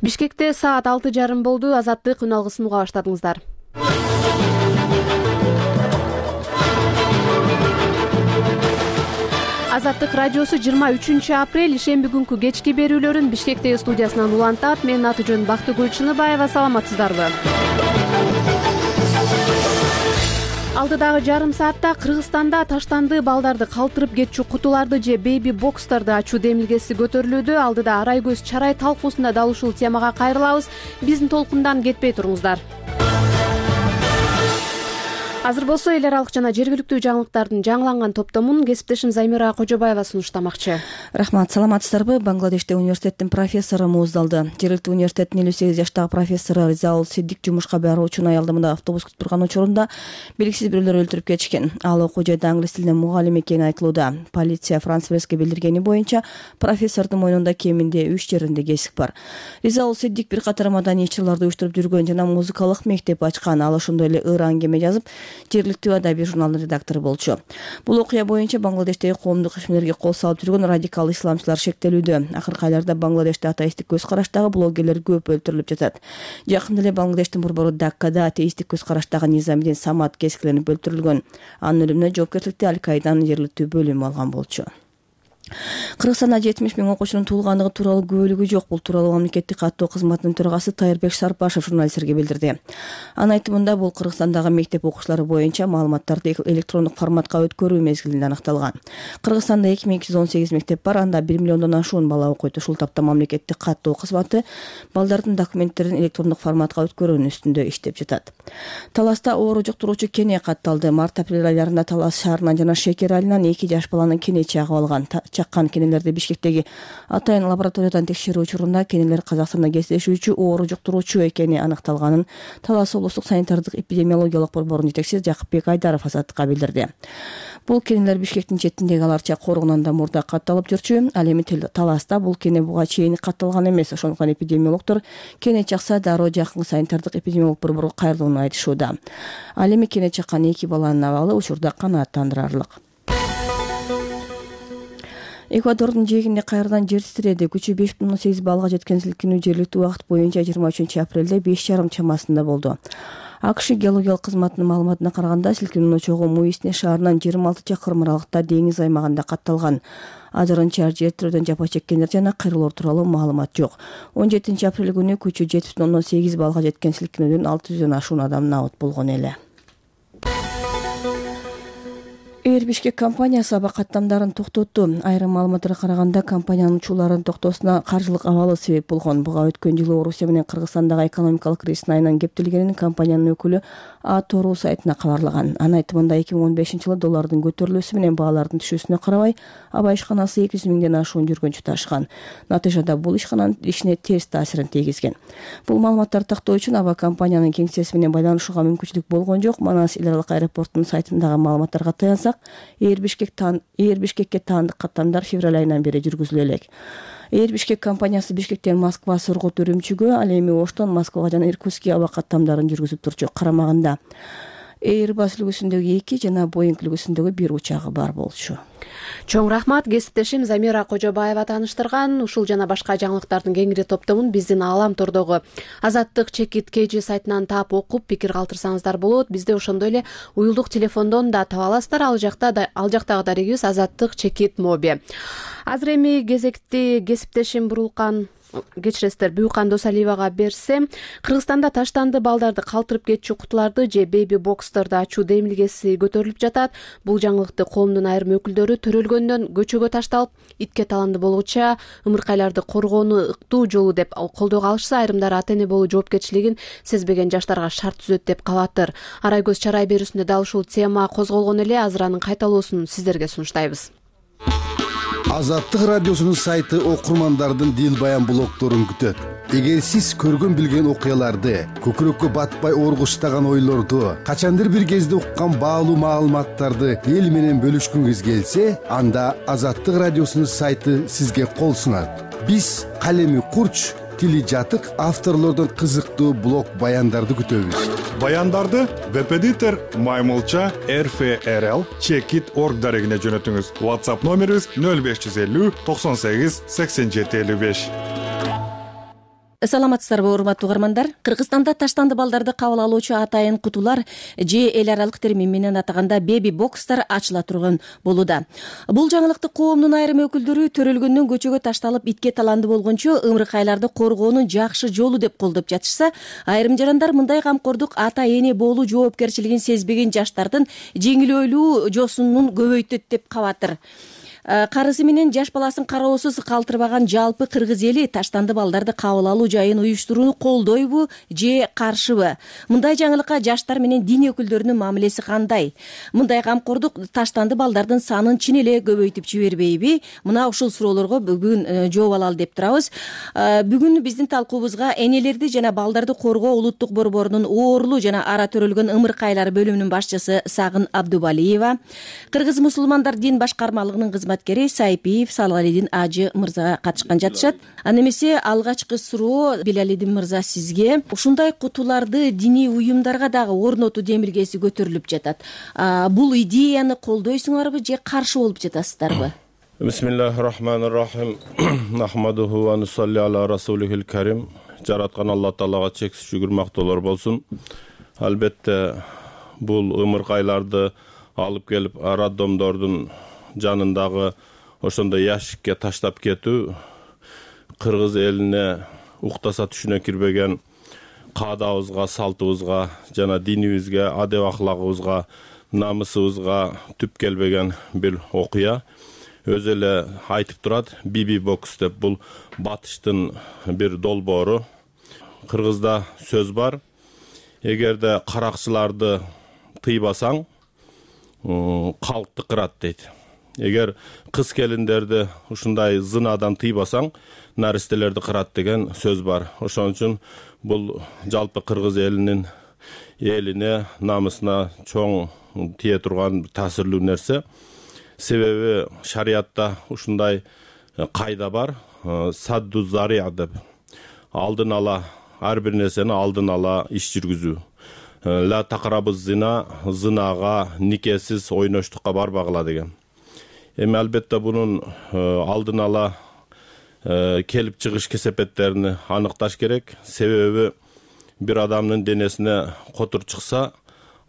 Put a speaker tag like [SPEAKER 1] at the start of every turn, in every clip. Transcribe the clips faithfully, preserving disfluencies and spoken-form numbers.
[SPEAKER 1] Бишкекте саат алты жарым болду. Азаттык үн алгысын уга баштадыңыздар. Азаттык радиосу жыйырма үчүнчү апрель ишемби күнкү кечки берүүлөрүн Бишкектеги студиясынан улантат. Менин аты жөнүм Бактыгүл Чыныбаева. Саламатсыздарбы? Алдыдагы жарым саатта Кыргызстанда таштанды балдарды калтырып кетчү кутуларды же бейби бокстарды ачуу демилгеси көтөрүлүүдө. Алдыда арай көз чарай талкуусунда дал ушул темага кайрылабыз. Биздин толкундан кетпей туруңуздар. Азыр болсо эл аралык жана жергиликтүү жаңылыктардын жаңыланган топтомун кесиптешим Замира Кожобаева сунуштамакчы.
[SPEAKER 2] Рахмат, саламатсыздарбы? Бангладеште университеттин профессору мууздалды. Жергиликтүү университеттин элүү сегиз жаштагы профессору Ризаул Сиддик жумушка баруучуну аялдамада автобус күтүп турган учурунда белгисиз бирөөлөр өлтүрүп кетишкен. Ал окуу жайда англис тилинен мугалим экени айтылууда. Полиция Франс Преске билдиргени боюнча профессордун мойнунда кеминде үч жеринде кесик бар. Ризаул Сиддик бир катар маданий иш-чараларды уюштуруп жүргөн жана музыкалык мектеп ачкан. Ал ошондой эле ыр аңгеме жазып, жергиликтүү адабий журналдын редактору болчу. Бул окуя боюнча Бангладештеги коомдук ишмерлерге кол салып жүргөн радикал исламчылар шектелүүдө. Акыркы айларда Бангладеште атеисттик көз караштагы блогерлер көп өлтүрүлүп жатат. Жакында эле Бангладештин борбору Даккада атеисттик көз караштагы Низамидин Самат кескиленип өлтүрүлгөн. Анын өлүмүнө жоопкерчиликти Аль-Каиданын жергиликтүү бөлүмү алган болчу. Кыргызстанда жетимиш миң окуучунун туулгандыгы тууралуу күбөлүгү жок. Бул тууралуу мамлекеттик каттоо кызматынын төрагасы Тайырбек Сарпашев журналисттерге билдирди. Анын айтымында бул Кыргызстандагы мектеп окуучулары боюнча маалыматтарды электрондук форматка өткөрүү мезгилинде аныкталган. Кыргызстанда эки миң эки жүз он сегиз мектеп бар, анда бир миллиондон ашуун бала окуйт. Ушул тапта мамлекеттик каттоо кызматы балдардын документтерин электрондук форматка өткөрүүнүн үстүндө иштеп жатат. Таласта оору жуктуруучу кене катталды. Март-апрель айларында Талас шаарынан жана Шекер айылынан эки жаш баланын кене чагып алган. Чаккан кенелерди Бишкектеги атайын лабораториядан текшерүү учурунда кенелер Казакстанда кездешүүчү оору жуктуруучу экени аныкталганын Талас облустук санитардык эпидемиологиялык борборунун жетекчиси Жакыпбек Айдаров Азаттыкка билдирди. Бул кенелер Бишкектин четиндеги Аларча коргунан да мурда катталып жүрчү. Ал эми Таласта бул кене буга чейин катталган эмес. Ошондуктан эпидемиологдор кене чакса дароо жакын санитардык эпидемиологиялык борборго кайрылууну айтышууда. Ал эми кене чаккан эки баланын абалы учурда канааттандырарлык. Эквадордун жээгинде кайрадан жер титиреди. Күчү беш бүтүн ондон сегиз баллга жеткен силкинүү жергиликтүү убакыт боюнча жыйырма үчүнчү апрелде беш жарым чамасында болду. АКШ геологиялык кызматынын маалыматына караганда силкинүүнүн чогуу Муисне шаарынан жыйырма алты чакырым аралыкта деңиз аймагында катталган. Ажырынча жер титирөөдөн жапа чеккендер жана кыйроолор тууралуу маалымат жок. он жетинчи апрель күнү күчү жети бүтүн ондон сегиз баллга жеткен силкинүүдөн алты жүздөн ашуун адам набыт болгон эле. Air Bishkek компаниясы аба каттамдарын токтотту. Айрым маалыматтарга караганда компаниянын учууларын токтоосуна каржылык абалы себеп болгон. Буга өткөн жылы Орусия менен Кыргызстандагы экономикалык кризистин айынан кептелгенин компаниянын өкүлү А-Тору сайтына кабарлаган. Анын айтымында эки миң он бешинчи жылы доллардын көтөрүлүүсү менен баалардын түшүүсүнө карабай аба ишканасы эки жүз миңден ашуун жүргүнчү ташыган. Натыйжада бул ишкананын ишине терс таасирин тийгизген. Бул маалыматтарды тактоо үчүн аба компаниянын кеңсеси менен байланышууга мүмкүнчүлүк болгон жок. Манас эл аралык аэропортунун сайтындагы маалыматтарга таянсак, Air Bishkek тан Air Bishkekке таандык каттамдар февраль айынан бери жүргүзүлө элек. Air Bishkek компаниясы Бишкектен Москва, Сургут, Үрүмчүгө, ал эми Оштон Москвага жана Иркутскке аба каттамдарын жүргүзүп турчу. Карамагында Airbus үлгүсүндөгү эки жана Boeing үлгүсүндөгү бир учагы бар болчу.
[SPEAKER 1] Чоң рахмат, кесиптешим Замира Кожобаева тааныштырган. Ушул жана башка жаңылыктардын кеңири топтомун биздин Аалам тордогу Азаттык Чекит Кж сайтынан таап окуп пикир калтырсаңыздар болот. Бизде ошондой эле уюлдук телефондон да таба аласыздар. Ал жакта да ал жактагы дарегибиз Азаттык Чекит Моби. Азыр эми кезекти кесиптешим Бурулкан кечиресиздер Буюкан Досалиевага берсем, Кыргызстанда таштанды балдарды калтырып кетчү кутуларды же бейби бокстарды ачуу демилгеси көтөрүлүп жатат. Бул жаңылыкты коомдун айрым өкүлдөрү төрөлгөндөн көчөгө ташталып, итке таланды болгуча ымыркайларды коргоону ыктуу жолу деп колдоого алышса, айрымдары ата-эне болуу жоопкерчилигин сезбеген жаштарга шарт түзөт деп кабаттыр. Арай көз чарай берүүсүндө дал ушул тема козголгон эле. Азыр анын кайталоосун сиздерге сунуштайбыз.
[SPEAKER 3] Азаттык радиосунун сайты окурмандардын дил баян блогдорун күтөт. Эгер сиз көргөн билген окуяларды, көкүрөккө батпай оргуштаган ойлорду, качандыр бир кезде уккан баалуу маалыматтарды эл менен бөлүшкүңүз келсе, анда Азаттык радиосунун сайты сизге кол сунат. Биз калеми курч, тили жатык авторлордон кызыктуу блог баяндарды күтөбүз.
[SPEAKER 4] Баяндарды веб-эдитор Маймылча эр эф эр эл чекит точка орг дарегине жөнөтүңүз. WhatsApp номерибиз нөл беш жүз элүү токсон сегиз сексен жети элүү беш.
[SPEAKER 2] саламатсыздарбы урматтуу угармандар. Кыргызстанда таштанды балдарды кабыл алуучу атайын кутулар же эл аралык термин менен атаганда беби бокстар ачыла турган болууда. Бул жаңылыкты коомдун айрым өкүлдөрү төрөлгөндөн көчөгө ташталып итке таланды болгончо ымыркайларды коргоонун жакшы жолу деп колдоп жатышса, айрым жарандар мындай камкордук ата эне болуу жоопкерчилигин сезбеген жаштардын жеңилөөлүү жосунун көбөйтөт деп кабатыр. Карысы менен жаш баласын кароосуз калтырбаган жалпы кыргыз эли таштанды балдарды кабыл алуу жайын уюштурууну колдойбу же каршыбы? Мындай жаңылыкка жаштар менен дин өкүлдөрүнүн мамилеси кандай? Мындай камкордук таштанды балдардын санын чын эле көбөйтүп жибербейби? Мына ушул суроолорго бүгүн жооп алалы деп турабыз. Бүгүн биздин талкуубузга энелерди жана балдарды коргоо улуттук борборунун оорлуу жана ара төрөлгөн ымыркайлар бөлүмүнүн башчысы Сагын Абдубалиева, Кыргыз мусулмандар дин башкармалыгынын кызматкери Сайпиев Салгалидин ажы мырза катышкан жатышат. Аны эмесе алгачкы суроо Билалидин мырза сизге. Ушундай кутуларды диний уюмдарга дагы орнотуу демилгеси көтөрүлүп жатат. Бул идеяны колдойсуңарбы же каршы болуп жатасыздарбы?
[SPEAKER 5] Бисмиллахир-рахманир-рахим. Нахмадуху ва нусалли аля расулихил карим. Жараткан Алла Таалага чексиз шүгүр мактоолор болсун. Албетте бул ымыркайларды алып келип роддомдордун жанындагы ошондой ящикке таштап кетүү кыргыз элине уктаса түшүнө кирбеген каадабызга, салтыбызга жана динибизге, адеп аклагыбызга, намысыбызга түп келбеген бир окуя. Өзү эле айтып турат, биби бокс деп. Бул батыштын бир долбоору. Кыргызда сөз бар: эгерде каракчыларды тыйбасаң, калкты кырат дейт. Эгер кыз келиндерди ушундай зынадан тыйбасаң, наристелерди кырат деген сөз бар. Ошон үчүн бул жалпы кыргыз элинин элине, намысына чоң тие турган таасирлүү нерсе. Себеби шариятта ушундай кайда бар: садду зария деп. Алдын ала, ар бир нерсени алдын ала иш жүргүзүү. Ла тақрабыз зина, зынага, никесиз ойноштукка барбагыла деген. Эми албетте бунун алдын ала келип чыгыш кесепеттерин аныкташ керек. Себеби бир адамдын денесине котур чыкса,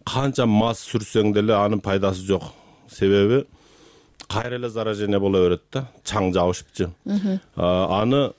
[SPEAKER 5] канча мас сүрсөң деле анын пайдасы жок. Себеби кайра эле заражение боло берет да, чаң жабышыпчы. Аны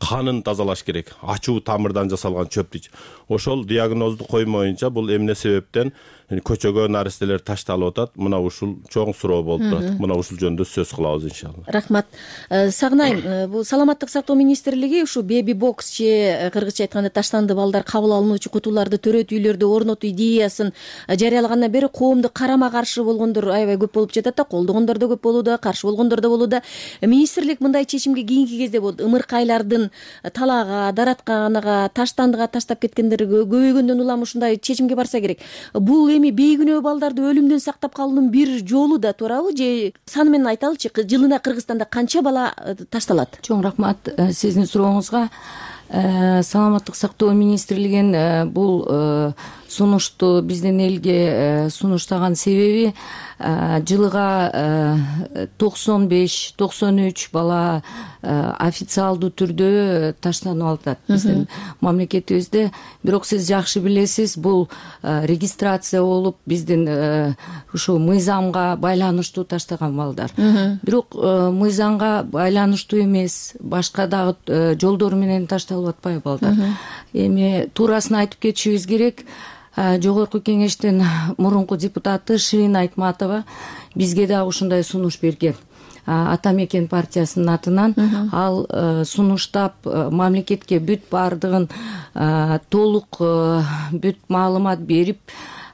[SPEAKER 5] канын тазалаш керек. Ачуу тамырдан жасалган чөп дейт. Ошол диагнозду коймоюнча бул эмне себептен көчөгө наристелер ташталып атат? Мына ушул чоң суроо болуп турат. Мына ушул жөнүндө сөз кылабыз иншалла.
[SPEAKER 2] Рахмат. Сагынайым, бул саламаттык сактоо министрлиги ушу беби бокс же кыргызча айтканда таштанды балдар кабыл алынуучу кутуларды төрөт үйлөрдө орнотуу идеясын жарыялагандан бери коомду карама каршы болгондор аябай көп болуп жатат да, колдогондор да көп болууда, каршы болгондор да болууда. Министрлик мындай чечимге кийинки кезде болду. Ымыркайлардын талаага, даратканага, таштандыга таштап кеткендер көбөйгөндөн улам ушундай чечимге барса керек. Бул эми бейкүнөө балдарды өлүмдөн сактап калуунун бир жолу да туурабы же саны менен айталычы, жылына Кыргызстанда канча бала ташталат?
[SPEAKER 6] Чоң рахмат сиздин сурооңузга. Саламаттык сактоо министрлигинин бул сунушту биздин элге сунуштаган себеби жылыга токсон беш токсон үч бала официалдуу түрдө таштанып атат биздин мамлекетибизде. Бирок сиз жакшы билесиз, бул регистрация болуп биздин ушу мыйзамга байланыштуу таштаган балдар. Бирок мыйзамга байланыштуу эмес, башка дагы жолдор менен ташталып атпайбы балдар. Эми туурасын айтып кетишибиз керек. Жогорку кеңештин мурунку депутаты Ширин Айтматова бизге да ушундай сунуш берген. Ата мекен партиясынын атынан ал сунуштап мамлекетке бүт бардыгын толук бүт маалымат берип,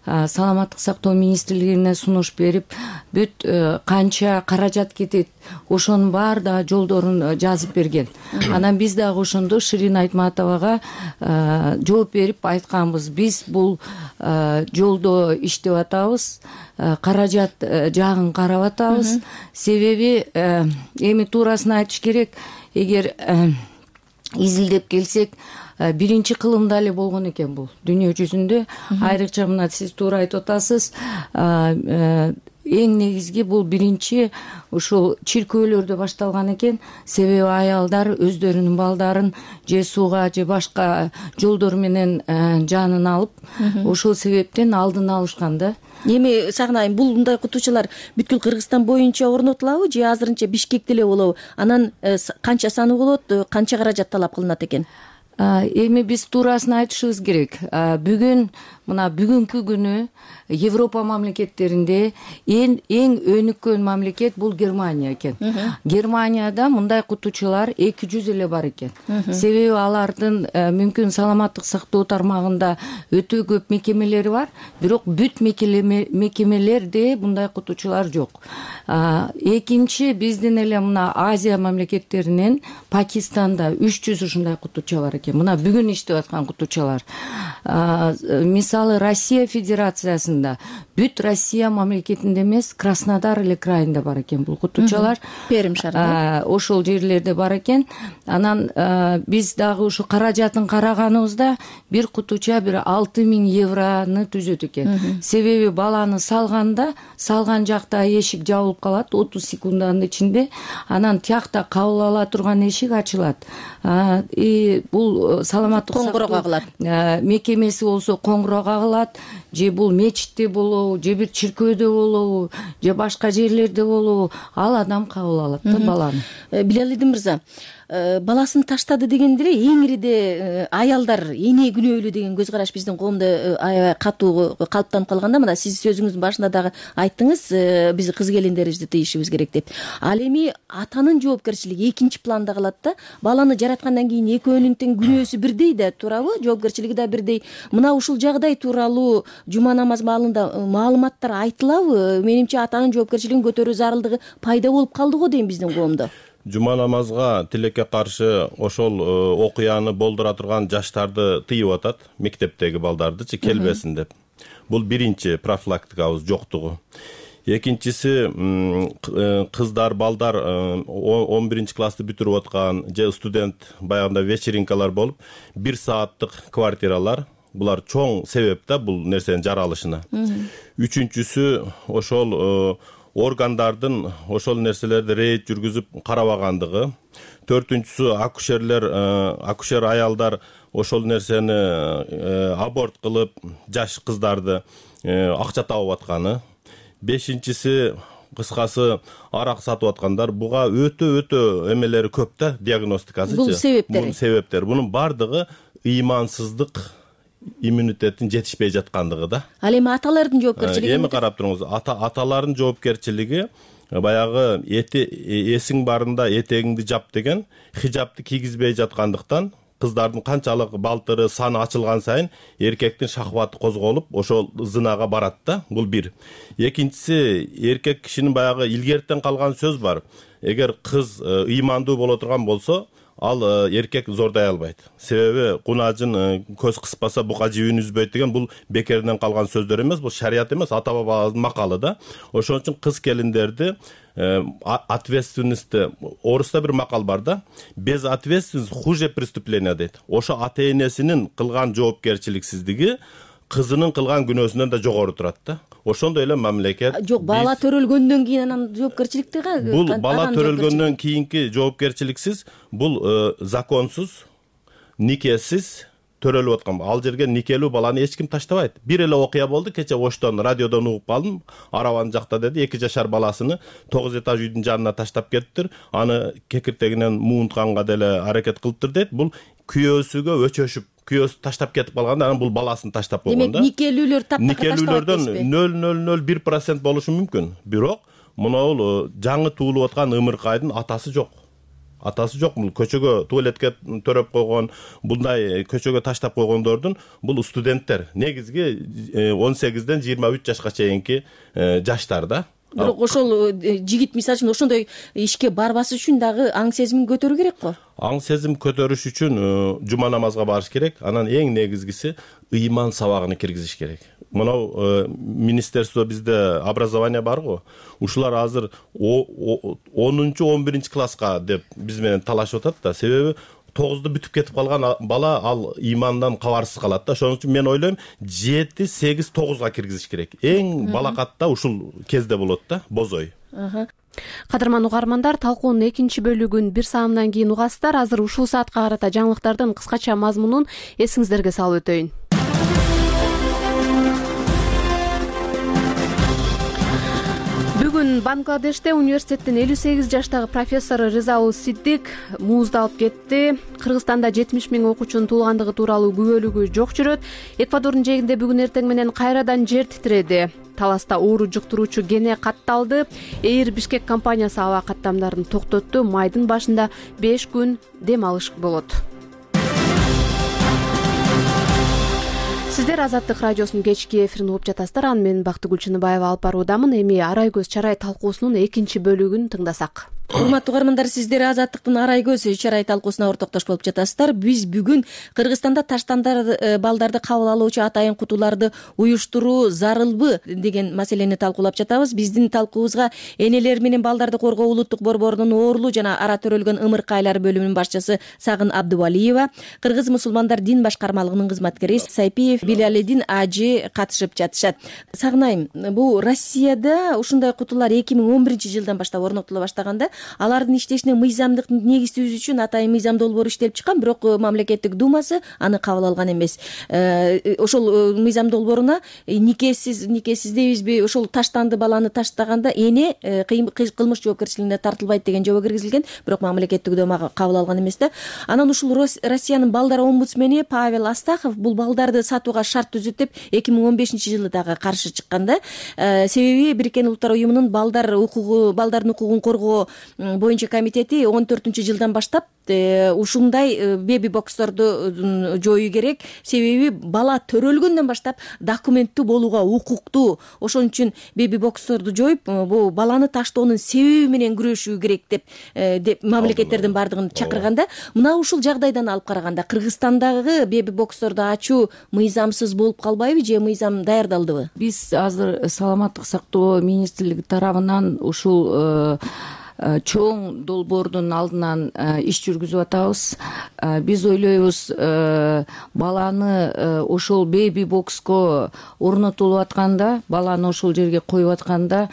[SPEAKER 6] саламаттык сактоо министрлигине сунуш берип, бүт канча каражат кетет, ошонун баар да жолдорун жазып берген. Анан биз дагы ошондо Ширин Айтматовага жооп берип айтканбыз: биз бул жолдо иштеп атабыз, каражат жагын карап атабыз. Себеби эми туурасын айтыш керек, эгер изилдеп келсек, биринчи кылымда эле болгон экен бул дүйнө жүзүндө. Айрыкча мына сиз туура айтып атасыз, эң негизги бул биринчи ушул чиркөөлөрдө башталган экен. Себеби аялдар өздөрүнүн балдарын же сууга же башка жолдор менен жанын алып, ошол себептен алдын алышкан да.
[SPEAKER 2] Эми Сагынайым, бул мындай окутуучулар бүткүл Кыргызстан боюнча орнотулабы же азырынча Бишкекте эле болобу? Анан канча саны болот, канча каражат талап кылынат экен?
[SPEAKER 6] Эми биз туурасын айтышыбыз керек. Бүгүн мына бүгүнкү күнү Европа мамлекеттеринде эң эң өнүккөн мамлекет бул Германия экен. Германияда мындай окутуучулар эки жүз эле бар экен. Себеби алардын мүмкүн саламаттык сактоо тармагында өтө көп мекемелери бар, бирок бүт мекемелерде мындай окутуучулар жок. Экинчи, биздин эле мына Азия мамлекеттеринен Пакистанда үч жүз ушундай окутуучу бар экен. Мына бүгүн иштеп аткан окутуучулар. Мисалы Россия Федерациясында бүт Россия мамлекетинде эмес, Краснодар эле крайында бар экен бул окутуучулар.
[SPEAKER 2] Перим шаарында
[SPEAKER 6] ошол жерлерде бар экен. Анан биз дагы ушу каражатын караганыбызда бир окутуучу бир алты миң евроны түзөт экен. Себеби баланы салганда, салган жакта эшик жабылып калат отуз секунданын ичинде. Анан тиякта кабыл ала турган эшик ачылат. И бул саламаттык
[SPEAKER 2] коңгуроо кагылат.
[SPEAKER 6] Мекемеси болсо коңгуроо кагылат, же бул мечитте болобу, же бир чиркөөдө болобу, же башка жерлерде болобу, ал адам кабыл алат да баланы.
[SPEAKER 2] Билалидин мырза, баласын таштады дегенде эле эңириде аялдар эне күнөөлүү деген көз караш биздин коомдо аябай катуу калыптанып калганда, мына сиз сөзүңүздүн башында дагы айттыңыз, биз кыз келиндерибизди тыйышыбыз керек деп. Ал эми атанын жоопкерчилиги экинчи планда калат да. Баланы жараткандан кийин экөөнүн тең күнөөсү бирдей да, туурабы? Жоопкерчилиги да бирдей. Мына ушул жагдай тууралуу жума намаз маалында маалыматтар айтылабы? Менимче атанын жоопкерчилигин көтөрүү зарылдыгы пайда болуп калды го дейм биздин коомдо.
[SPEAKER 5] Жума намазга тилекке каршы ошол окуяны болдура турган жаштарды тыйып атат, мектептеги балдардычы келбесин деп. Бул биринчи профилактикабыз жоктугу. Экинчиси, кыздар, балдар он биринчи классты бүтүрүп аткан же студент баягында вечеринкалар болуп, бир сааттык квартиралар, булар чоң себеп да бул нерсенин жаралышына. Үчүнчүсү, ошол органдардын ошол нерселерди рейд жүргүзүп карабагандыгы. Төртүнчүсү, акушерлер, акушер аялдар ошол нерсени аборт кылып, жаш кыздарды акча табып атканы. Бешинчиси, кыскасы, арак сатып аткандар. Буга өтө-өтө эмелери көп да, диагностикасы.
[SPEAKER 2] Бул себептери.
[SPEAKER 5] Бул себептер. Бунун бардыгы ыймансыздык, иммунитеттин жетишпей жаткандыгы да.
[SPEAKER 2] Ал эми аталардын жоопкерчилиги?
[SPEAKER 5] Эми карап туруңуз, аталардын жоопкерчилиги баягы эсиң барында этегиңди жап деген хижабты кийгизбей жаткандыктан кыздардын канчалык балтыры, саны ачылган сайын эркектин шахваты козголуп, ошол зынага барат да. Бул бир. Экинчиси, эркек кишинин баягы илгертен калган сөз бар. Эгер кыз ыймандуу боло турган болсо, ал эркек зордой албайт. Себеби кунажын көз кыспаса бука жибин үзбөйт деген бул бекеринен калган сөздөр эмес, бул шарият эмес, ата бабабыздын макалы да. Ошон үчүн кыз келиндерди ответственности, орусда бир макал бар да, без ответственности хуже преступление дейт. Ошо ата энесинин кылган жоопкерчиликсиздиги кызынын кылган күнөөсүнөн да жогору турат да. Ошондой эле мамлекет.
[SPEAKER 2] Жок, бала төрөлгөндөн кийин анан жоопкерчиликтеги?
[SPEAKER 5] Бул бала төрөлгөндөн кийинки жоопкерчиликсиз, бул законсуз, никесиз төрөлүп аткан. Ал жерге никелүү баланы эч ким таштабайт. Бир эле окуя болду, кече Оштон радиодон угуп калдым. Арабанын жакта деди, эки жашар баласыны тогуз этаж үйдүн жанына таштап кетиптир. Аны кекиртегинен муунтканга деле аракет кылыптыр дейт. Бул күйөөсүгө өчөшүп, күйөөсү таштап кетип калганда анан бул баласын таштап койгон да.
[SPEAKER 2] Демек никелүүлөр таптакыр
[SPEAKER 5] никелүүлөрдөн нөл нөл нөл бир процент болушу мүмкүн. Бирок мынау жаңы туулуп аткан ымыркайдын атасы жок. Атасы жок. Бул көчөгө туалетке төрөп койгон, bunday көчөгө таштап койгондордун бул студенттер. Негизги он сегизден жыйырма үч жашка чейинки жаштар да.
[SPEAKER 2] Бирок ошол жигит мисалы үчүн ошондой ишке барбаш үчүн дагы аң сезимин көтөрүү керек го.
[SPEAKER 5] Аң сезим көтөрүш үчүн жума намазга барыш керек. Анан эң негизгиси ыйман сабагын киргизиш керек. Мынау министерство бизде образование бар го. Ушулар азыр онунчу он биринчи класска деп биз менен талашып атат да. Себеби тогузду бүтүп кетип калган бала ал ыймандан кабарсыз калат да. Ошон үчүн мен ойлойм жети сегиз тогузга киргизиш керек. Эң балакатта ушул кезде болот да, бозой.
[SPEAKER 1] Кадырман угармандар, талкуунун экинчи бөлүгүн бир саамдан кийин угасыздар. Азыр ушул саатка карата жаңылыктардын кыскача мазмунун эсиңиздерге салып өтөйүн. Бүгүн Бангладеште университеттин элүү сегиз жаштагы профессору Резаул Сиддик муузду алып кетти. Кыргызстанда жетимиш миң окуучунун туулгандыгы тууралуу күбөлүгү жок жүрөт. Эквадордун жээгинде бүгүн эртең менен кайрадан жер титиреди. Таласта оору жуктуруучу кене катталды. Эйр Бишкек компаниясы аба каттамдарын токтотту. Майдын башында беш күн дем алыш болот. Сиздер Азаттык радиосунун кечки эфирин угуп жатасыздар. Аны мен Бактыгүл Чыныбаева алып баруудамын. Эми Арай көз чарай талкуусунун экинчи бөлүгүн тыңдасак.
[SPEAKER 2] Урматтуу угармандар, сиздер Азаттыктын Арай көз чарай талкуусуна ортоктош болуп жатасыздар. Биз бүгүн Кыргызстанда таштандар балдарды кабыл алуучу атайын кутуларды уюштуруу зарылбы деген маселени талкуулап жатабыз. Биздин талкуубузга энелер менен балдарды коргоо улуттук борборунун оорлуу жана ара төрөлгөн ымыркайлар бөлүмүнүн башчысы Сагын Абдубалиева, Кыргыз мусулмандар дин башкармалыгынын кызматкери Сайпиев Билалидин ажы катышып жатышат. Сагынайым, бул Россияда ушундай кутулар эки миң он биринчи жылдан баштап орнотула баштаганда, алардын иштешине мыйзамдык негиз түзүү үчүн атайын мыйзам долбоору иштелип чыккан, бирок мамлекеттик думасы аны кабыл алган эмес. Ошол мыйзам долбооруна никесиз никесиз дейбизби, ошол таштанды баланы таштаганда эне кылмыш жоопкерчилигине тартылбайт деген жобо киргизилген, бирок мамлекеттик дума кабыл алган эмес да. Анан ушул Россиянын балдар омбудсмени Павел Астахов бул балдарды сатууга шарт түзөт деп эки миң он бешинчи жылы дагы каршы чыкканда, себеби Бириккен Улуттар уюмунун балдар укугу балдардын укугун коргоо боюнча комитети он төртүнчү жылдан баштап ушундай беби боксторду жоюу керек. Себеби бала төрөлгөндөн баштап документтүү болууга укуктуу. Ошон үчүн беби боксторду жоюп, бул баланы таштоонун себеби менен күрөшүү керек деп деп мамлекеттердин бардыгын чакырганда, мына ушул жагдайдан алып караганда Кыргызстандагы беби боксторду ачуу мыйзамсыз болуп калбайбы же мыйзам даярдалдыбы?
[SPEAKER 6] Биз азыр саламаттык сактоо министрлиги тарабынан ушул чоң долбоордун алдынан иш жүргүзүп атабыз. Биз ойлойбуз, баланы ошол беби бокско орнотулуп атканда, баланы ошол жерге коюп атканда,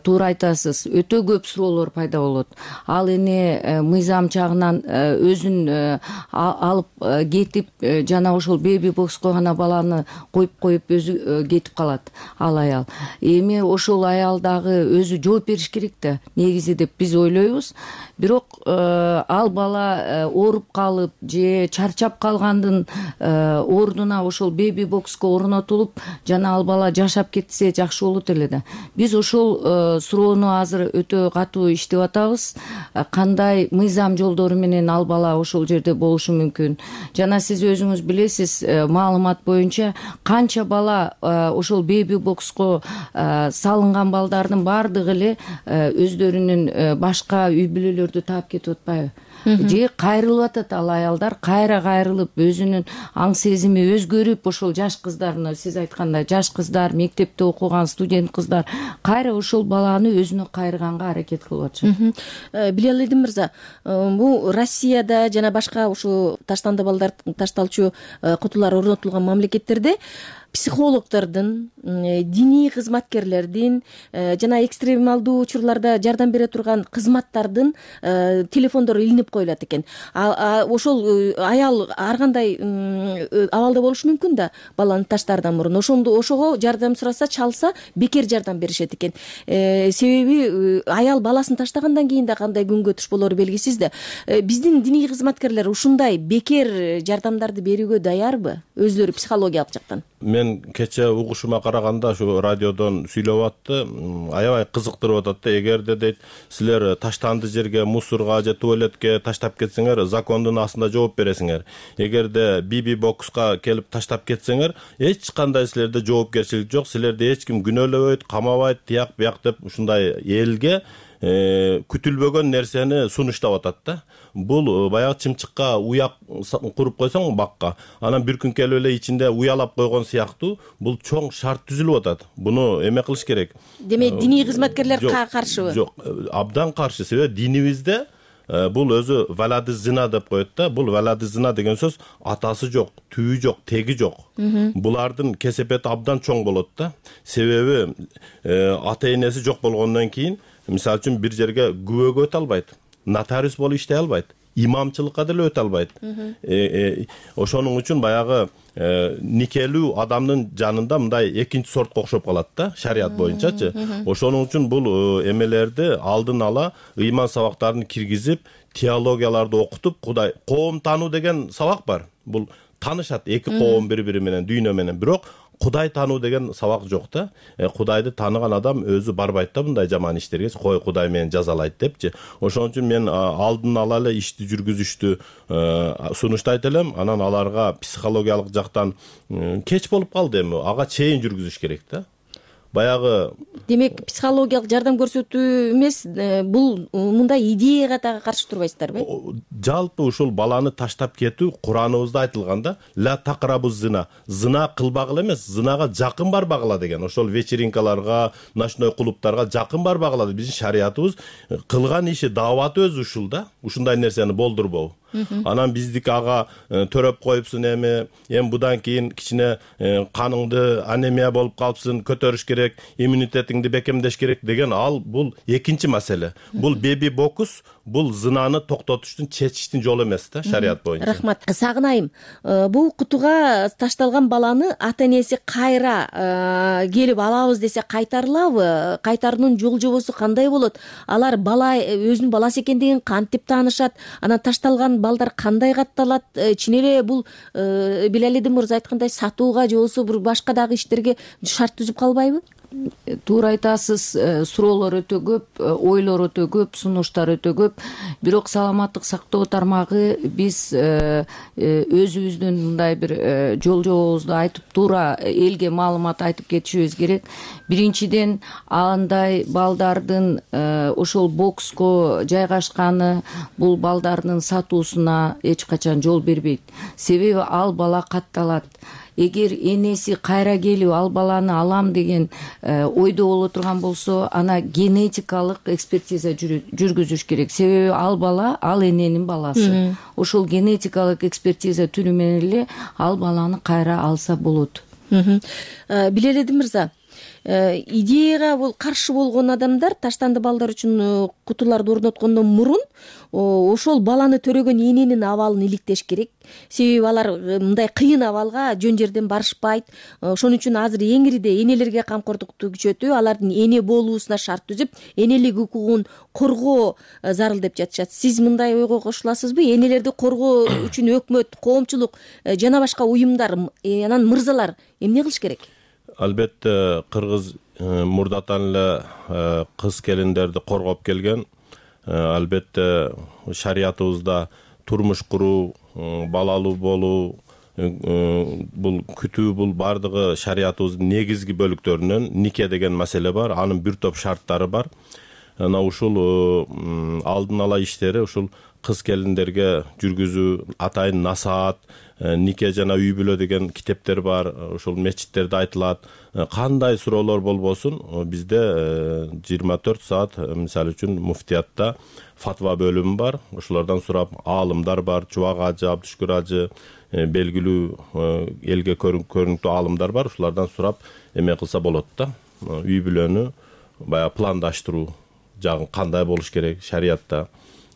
[SPEAKER 6] туура айтасыз, өтө көп суроолор пайда болот. Ал эне мыйзам жагынан өзүн алып кетип, жана ошол беби бокско гана баланы коюп коюп өзү кетип калат ал аял. Эми ошол аял дагы өзү жооп бериш керек да, негизи деп биз ойлойбуз. Бирок ал бала ооруп калып же чарчап калгандын ордуна ошол беби бокско орнотулуп, жана ал бала жашап кетсе жакшы болот эле да. Биз ошол суроону азыр өтө катуу иштеп атабыз. Кандай мыйзам жолдору менен ал бала ошол жерде болушу мүмкүн. Жана сиз өзүңүз билесиз, маалымат боюнча канча бала ошол беби бокско салынган балдардын бардыгы эле өздөрүнүн башка үй бүлөлөрдү таап кетип атпайбы? Же кайрылып атат ал аялдар, кайра кайрылып өзүнүн аң сезими өзгөрүп, ошол жаш кыздарны, сиз айткандай жаш кыздар, мектепте окуган студент кыздар кайра ошол баланы өзүнө кайрыганга аракет кылып атышат.
[SPEAKER 2] Билалидин мырза, бул Россияда жана башка ушул таштанды балдар ташталчу кутулар орнотулган мамлекеттерде психологдордун, диний кызматкерлердин жана экстремалдуу учурларда жардам бере турган кызматтардын телефондору илинип коюлат экен. Ошол аял ар кандай абалда болушу мүмкүн да, баланы таштаардан мурун. Ошондо ошого жардам сураса, чалса, бекер жардам беришет экен. Себеби аял баласын таштагандан кийин да кандай күнгө туш болору белгисиз да. Биздин диний кызматкерлер ушундай бекер жардамдарды берүүгө даярбы, өзлөрү психологиялык жактан?
[SPEAKER 5] Мен кече угушума караганда ушу радиодон сүйлөп атты, аябай кызыктырып атат да. Эгерде дейт, силер таштанды жерге, мусорго же туалетке таштап кетсеңер, закондун астында жооп бересиңер. Эгерде биби бокска келип таштап кетсеңер, эч кандай силерде жоопкерчилик жок, силерди эч ким күнөөлөбөйт, камабайт, тияк бияк деп ушундай элге күтүлбөгөн нерсени сунуштап атат да. Бул баягы чымчыкка уяк куруп койсоң бакка, анан бир күн келип эле ичинде уялап койгон сыяктуу бул чоң шарт түзүлүп атат. Буну эме кылыш керек.
[SPEAKER 2] Демек диний кызматкерлер каршыбы?
[SPEAKER 5] Жок, абдан каршы. Себеби динибизде бул өзү валады зина деп коет да. Бул валады зина деген сөз атасы жок, түбү жок, теги жок. Булардын кесепети абдан чоң болот да. Себеби ата энеси жок болгондон кийин, мисалы үчүн бир жерге күбөгө өтө албайт, нотариус болуп иштей албайт, имамчылыкка деле өтө албайт. Ошонун үчүн баягы никелүү адамдын жанында мындай экинчи сортко окшоп калат да, шарият боюнчачы. Ошонун үчүн бул эмелерди алдын ала ыйман сабактарын киргизип, теологияларды окутуп, Кудай коом таануу деген сабак бар. Бул таанышат эки коом бири-бири менен, дүйнө менен, бирок Кудай таануу деген сабак жок да. Кудайды тааныган адам өзү барбайт да мындай жаман иштерге, кой Кудай мени жазалайт депчи. Ошон үчүн мен алдын ала эле ишти жүргүзүштү сунуштайт элем. Анан аларга психологиялык жактан кеч болуп калды эми, ага чейин жүргүзүш керек да. Баягы
[SPEAKER 7] демек психологиялык жардам көрсөтүү эмес, бул мындай идеяга дагы каршы турбайсыздарбы?
[SPEAKER 5] Жалпы ушул баланы таштап кетүү Кураныбызда айтылган да. Ла тақрабуз зина. Зина кылбагыла эмес, зинага жакын барбагыла деген. Ошол вечеринкаларга, ночной клубтарга жакын барбагыла. Биздин шариятыбыз кылган иши, дааваты өзү ушул да. Ушундай нерсени болдурбоо. Анан биздики ага төрөп коюпсуң эми, эми будан кийин кичине каныңды анемия болуп калыпсың, көтөрүш керек, иммунитетиңди бекемдеш керек деген, ал бул экинчи маселе. Бул беби бокус, бул зынаны токтотуштун, чечиштин жолу эмес да, шарият боюнча.
[SPEAKER 7] Рахмат. Сагынайым, бул кутуга ташталган баланы ата энеси кайра келип алабыз десе кайтарылабы? Кайтаруунун жол жобосу кандай болот? Алар бала өзүнүн баласы экендигин кантип таанышат? Анан ташталган балдар кандай катталат? Чын эле бул Билалидин мырза айткандай сатууга же болбосо бир башка дагы иштерге шарт түзүп калбайбы?
[SPEAKER 6] Туура айтасыз, суроолор өтө көп, ойлор өтө көп, сунуштар өтө көп. Бирок саламаттык сактоо тармагы биз өзүбүздүн мындай бир жол жобобузду айтып, туура элге маалымат айтып кетишибиз керек. Биринчиден, андай балдардын ошол бокско жайгашканы бул балдардын сатуусуна эч качан жол бербейт. Себеби ал бала катталат. Эгер энеси кайра келип ал баланы алам деген ойдо боло турган болсо, ана генетикалык экспертиза жүргүзүш керек. Себеби ал бала ал эненин баласы. Ошол генетикалык экспертиза түрү менен эле ал баланы кайра алса болот.
[SPEAKER 7] Билалидин мырза, идеяга бул каршы болгон адамдар таштанды балдар үчүн кутуларды орноткондон мурун ошол баланы төрөгөн эненин абалын иликтеш керек. Себеби алар мындай кыйын абалга жөн жерден барышпайт. Ошон үчүн азыр эңириде энелерге камкордукту күчөтүү, алардын эне болуусуна шарт түзүп, энелик укугун коргоо зарыл деп жатышат. Сиз мындай ойго кошуласызбы? Энелерди коргоо үчүн өкмөт, коомчулук жана башка уюмдар, анан мырзалар эмне кылыш керек?
[SPEAKER 5] Албетте кыргыз мурдатан эле кыз келиндерди коргоп келген. Албетте шариятыбызда турмуш куруу, балалуу болуу, бул күтүү, бул бардыгы шариятыбыздын негизги бөлүктөрүнөн нике деген маселе бар. Анын бир топ шарттары бар. Ана ушул алдын ала иштери ушул кыз келиндерге жүргүзүү, атайын насаат, нике жана үй бүлө деген китептер бар. Ошол мечиттерде айтылат. Кандай суроолор болбосун, бизде жыйырма төрт саат, мисалы үчүн муфтиятта фатва бөлүмү бар. Ошолордон сурап, аалымдар бар, Чубак ажы, Абдышкүр ажы, белгилүү элге көрүнүктүү аалымдар бар. Ошолордон сурап эме кылса болот да. Үй бүлөнү баягы пландаштыруу жагын кандай болуш керек шариятта.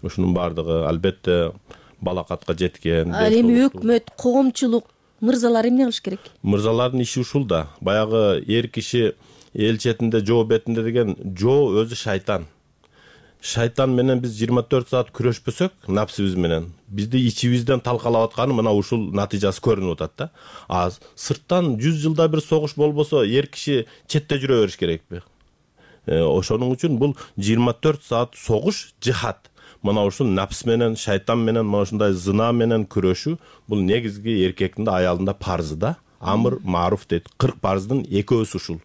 [SPEAKER 5] Ушунун бардыгы албетте балакатка жеткен.
[SPEAKER 7] Ал эми өкмөт, коомчулук, мырзалар эмне кылыш керек?
[SPEAKER 5] Мырзалардын иши ушул да. Баягы эр киши эл четинде, жоо бетинде деген жоо өзү шайтан. Шайтан менен биз жыйырма төрт саат күрөшпөсөк, напсыбыз менен, бизди ичибизден талкалап атканы мына ушул натыйжасы көрүнүп атат да. А сырттан жүз жылда бир согуш болбосо, эр киши четте жүрө бериш керекпи? Ошонун үчүн бул жыйырма төрт саат согуш, жихад. Мына ушул напс менен, шайтан менен, мына ушундай зына менен күрөшүү бул негизги эркектин да, аялдын да парзы да. Амр маруф дейт. кырк парздын экөөсү ушул.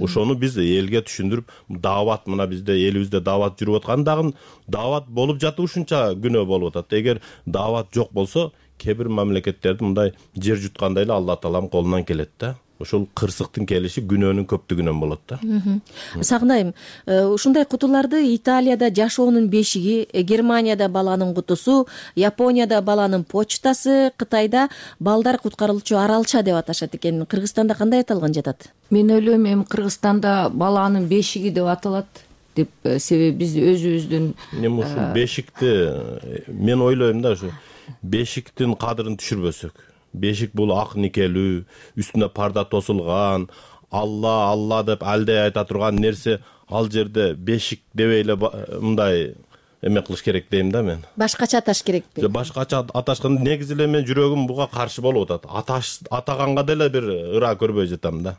[SPEAKER 5] Ошону биз элге түшүндүрүп, даават, мына бизде элибизде даават жүрүп аткан дагы даават болуп жатып ушунча күнөө болуп атат. Эгер даават жок болсо, кээ бир мамлекеттерде мындай жер жуткандай эле Алла тааланын колунан келет да. ошол кырсыктын келиши күнөөнүн көптүгүнөн болот да.
[SPEAKER 7] Сагынайым, ушундай кутуларды Италияда жашоонун бешиги, Германияда баланын кутусу, Японияда баланын почтасы, Кытайда балдар куткарылчу аралча деп аташат экен. Кыргызстанда кандай аталган жатат?
[SPEAKER 6] Мен ойлойм, эми Кыргызстанда баланын бешиги деп аталат деп, себеби биз өзүбүздүн
[SPEAKER 5] эми ушул бешикти мен ойлойм да, ушу бешиктин кадырын түшүрбөсөк. Бешик бул ак никелүү, үстүнө парда тосулган, Алла Алла деп алдай айта турган нерсе, ал жерде бешик дебей эле мындай эме кылыш керек дейм да мен.
[SPEAKER 7] Башкача аташ керекпи?
[SPEAKER 5] Башкача аташканда негизи эле мен жүрөгүм буга каршы болуп атат. Аташ атаганга деле бир ыра көрбөй жатам да.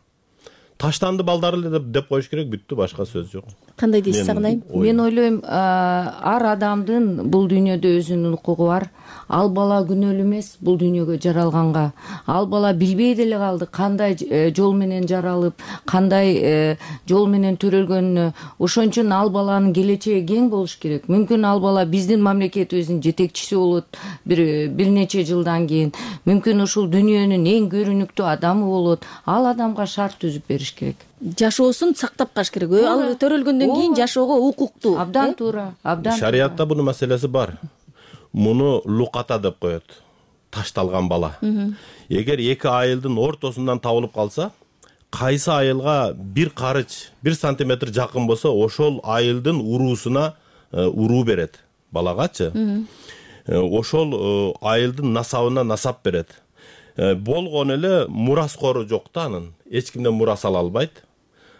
[SPEAKER 5] Таштанды балдар эле деп коюш керек, бүттү, башка сөз жок.
[SPEAKER 7] Кандай дейсиз Сагынайым?
[SPEAKER 6] Мен ойлойм, ар адамдын бул дүйнөдө өзүнүн укугу бар. Ал бала күнөөлүү эмес бул дүйнөгө жаралганга. Ал бала билбей деле калды кандай жол менен жаралып, кандай жол менен төрөлгөнүнө. Ошон үчүн ал баланын келечеги кең болуш керек. Мүмкүн ал бала биздин мамлекетибиздин жетекчиси болот бир бир нече жылдан кийин. Мүмкүн ушул дүйнөнүн эң көрүнүктүү адамы болот. Ал адамга шарт түзүп бериш керек.
[SPEAKER 7] Жашоосун сактап калыш керек. Ал төрөлгөндөн кийин жашоого укуктуу.
[SPEAKER 6] Абдан туура, абдан.
[SPEAKER 5] Шариятта бунун маселеси бар. Муну луката деп коет. Ташталган бала. Эгер эки айылдын ортосундан табылып калса, кайсы айылга бир карыч, бир сантиметр жакын болсо, ошол айылдын уруусуна уруу берет балагачы. Ошол айылдын насабына насап берет. Болгон эле мураскору жок да анын. Эч кимден мурас ала албайт.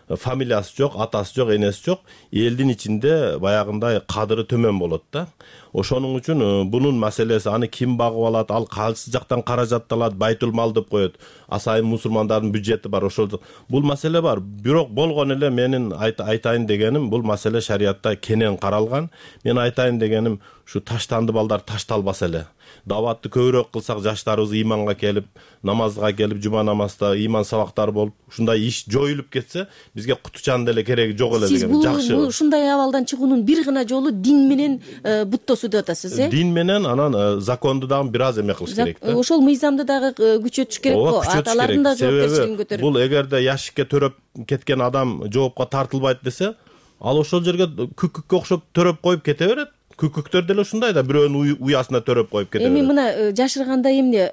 [SPEAKER 5] Фамилиясы жок, атасы жок, энеси жок. Элдин ичинде баягындай кадыры төмөн болот да. Ошонун үчүн бунун маселеси, аны ким багып алат, ал кайсы жактан каражат алат, байтул мал деп коет. Асайын мусулмандардын бюджети бар, ошол бул маселе бар. Бирок болгон эле менин айтайын дегеним, бул маселе шариятта кенен каралган. Мен айтайын дегеним, ушу таштанды балдар ташталбаса эле. Даватты көбүрөөк кылсак, жаштарыбыз ыйманга келип, намазга келип, жума намазда ыйман сабактары болуп, ушундай иш жоюлуп кетсе, бизге кутучан деле кереги жок эле деген.
[SPEAKER 7] Сиз бул ушундай абалдан чыгуунун бир гана жолу дин менен буттосуу деп атасыз, э?
[SPEAKER 5] Дин менен анан законду дагы бир аз эме кылыш керек да.
[SPEAKER 7] Ошол мыйзамды дагы күчөтүш керек го. Аталардын да жоопкерчилигин көтөрүп.
[SPEAKER 5] Бул эгерде яшикке төрөп кеткен адам жоопко тартылбайт десе, ал ошол жерге күкүккө окшоп төрөп коюп кете берет. Күкүктөр деле ушундай да, бирөөнүн уясына төрөп коюп кете берет.
[SPEAKER 7] Эми мына жашырганда эмне,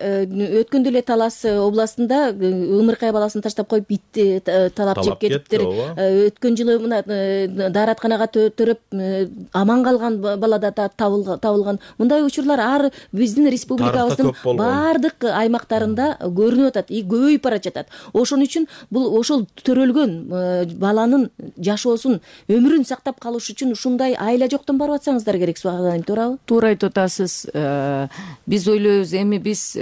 [SPEAKER 7] өткөндө эле Талас областында ымыркай баласын таштап коюп ит талап жеп кетиптир. Өткөн жылы мына дааратканага төрөп аман калган бала да табылган. Мындай учурлар ар биздин республикабыздын баардык аймактарында көрүнүп атат, и көбөйүп бара жатат. Ошон үчүн бул ошол төрөлгөн баланын жашоосун, өмүрүн сактап калыш үчүн ушундай айла жоктон барып атсаңыздар керек. Туурабы?
[SPEAKER 6] Туура айтып атасыз. Биз ойлойбуз, эми биз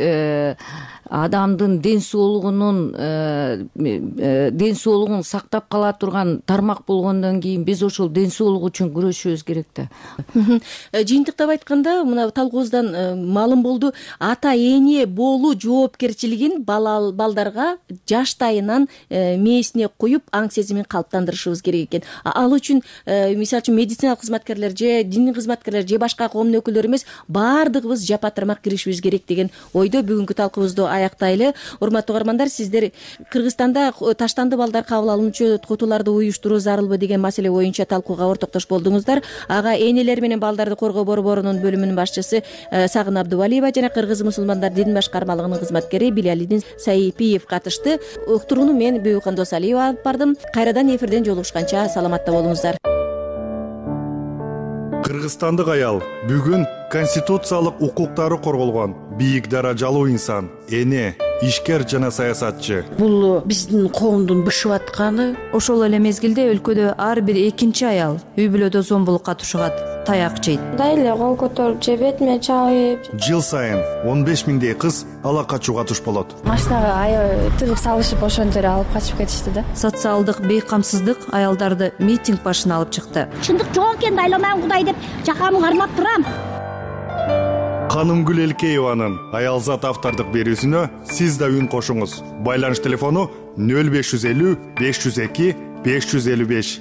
[SPEAKER 6] адамдын ден соолугунун ден соолугун сактап кала турган тармак болгондон кийин биз ошол ден соолук үчүн күрөшүбүз керек да.
[SPEAKER 7] Жыйынтыктап айтканда, мына талкуубуздан маалым болду, ата эне болуу жоопкерчилигин балдарга жаштайынан мээсине куюп, аң сезимин калыптандырышыбыз керек экен. Ал үчүн мисалы үчүн медициналык кызматкерлер же диний кызматкерлер же башка коомдун өкүлдөрү эмес, баардыгыбыз жапа-тармак киришибиз керек деген ойдо бүгүнкү талкуубузду аяктайлы. Урматтуу угармандар, сиздер Кыргызстанда таштанды балдар кабыл алуучу кутуларды уюштуруу зарылбы деген маселе боюнча талкууга ортоктош болдуңуздар. Ага энелер менен балдарды коргоо борборунун бөлүмүнүн башчысы Сагын Абдувалиева жана Кыргыз мусулмандар дин башкармалыгынын кызматкери Билалидин Сайипиев катышты. Уктурууну мен Бүйүкан Досалиева алып бардым. Кайрадан эфирден жолугушканча саламатта болуңуздар.
[SPEAKER 4] Кыргызстандык аял бүгүн конституциялык укуктары корголгон бийик даражалуу инсан, эне, ишкер жана саясатчы.
[SPEAKER 8] Бул биздин коомдун бышып атканы.
[SPEAKER 2] Ошол эле мезгилде өлкөдө ар бир экинчи аял үй бүлөдө зомбулукка тушугат, таяк жейт.
[SPEAKER 9] Мындай эле кол көтөрүп же бетиме чабып.
[SPEAKER 4] Жыл сайын он беш миңдей кыз ала качууга туш болот.
[SPEAKER 9] Машинага аябай тыгып салышып, ошондо эле алып качып кетишти да.
[SPEAKER 2] Социалдык бейкамсыздык аялдарды митинг башына алып чыкты.
[SPEAKER 10] Чындык жок экенди айламайм Кудай деп жакамды кармап турам.
[SPEAKER 4] Канымгүл Элкееванын Аялзат автордук берүүсүнө сиз да үн кошуңуз. Байланыш телефону нөл беш жүз элүү беш жүз эки беш жүз элүү беш.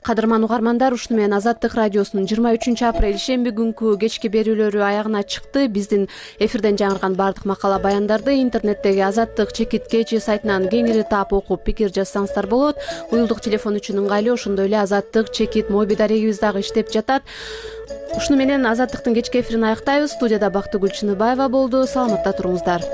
[SPEAKER 1] Кадырман угармандар, ушуну менен Азаттык радиосунун жыйырма үчүнчү апрель ишемби күнкү кечки берүүлөрү аягына чыкты. Биздин эфирден жаңырган баардык макала баяндарды интернеттеги Азаттык чекит кечи сайтынан кеңири таап окуп пикир жазсаңыздар болот. Уюлдук телефон үчүн ыңгайлуу, ошондой эле Азаттык чекит моби дарегибиз дагы иштеп жатат. Ушуну менен Азаттыктын кечки эфирин аяктайбыз. Студияда Бактыгүл Чыныбаева болду. Саламатта туруңуздар.